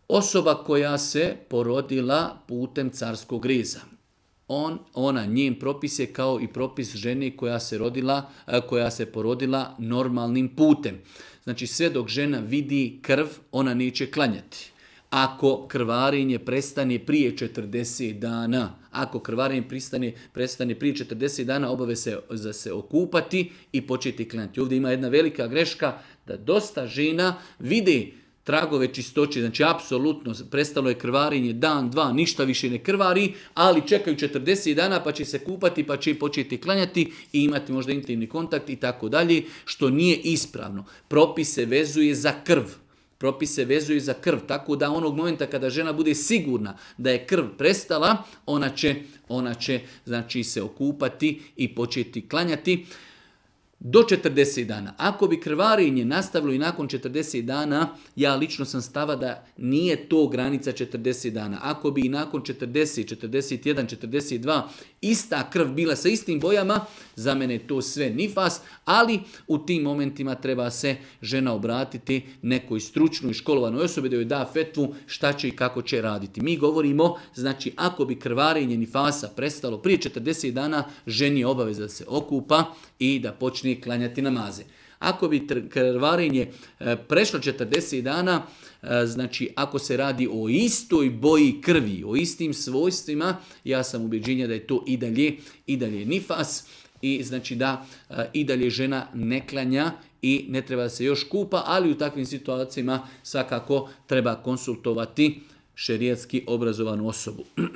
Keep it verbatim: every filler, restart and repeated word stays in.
Osoba koja se porodila putem carskog reza. On, ona, njen propis je kao i propis žene koja se, rodila, koja se porodila normalnim putem. Znači sve dok žena vidi krv, ona neće klanjati. Ako krvarenje prestane prije četrdeset dana, ako krvarenje prestane, prestane prije četrdeset dana, obave se za se okupati i početi klanjati. Ovdje ima jedna velika greška da dosta žena vide tragove čistoće, znači apsolutno prestalo je krvarenje dan, dva, ništa više ne krvari, ali čekaju četrdeset dana pa će se kupati, pa će početi klanjati i imati možda intimni kontakt i tako dalje, što nije ispravno. Propis se vezuje za krv. Propis se vezuje za krv, tako da onog momenta kada žena bude sigurna da je krv prestala, ona će, ona će znači, se okupati i početi klanjati. Do četrdeset dana. Ako bi krvarenje nastavilo i nakon četrdeset dana, ja lično sam stava da nije to granica četrdeset dana. Ako bi i nakon četrdeset, četrdeset jedan, četrdeset dva ista krv bila sa istim bojama, za mene je to sve nifas, ali u tim momentima treba se žena obratiti nekoj stručnoj školovanoj osobi da joj da fetvu šta će i kako će raditi. Mi govorimo, znači ako bi krvarenje nifasa prestalo prije četrdeset dana, ženi je obaveza da se okupa i da počne klanjati namaze. Ako bi krvarenje prešlo četrdeset dana, znači ako se radi o istoj boji krvi, o istim svojstvima, ja sam ubeđenja da je to i dalje, i dalje nifas i znači da i dalje žena ne klanja i ne treba da se još kupa, ali u takvim situacijama svakako treba konsultovati šerijatski obrazovanu osobu.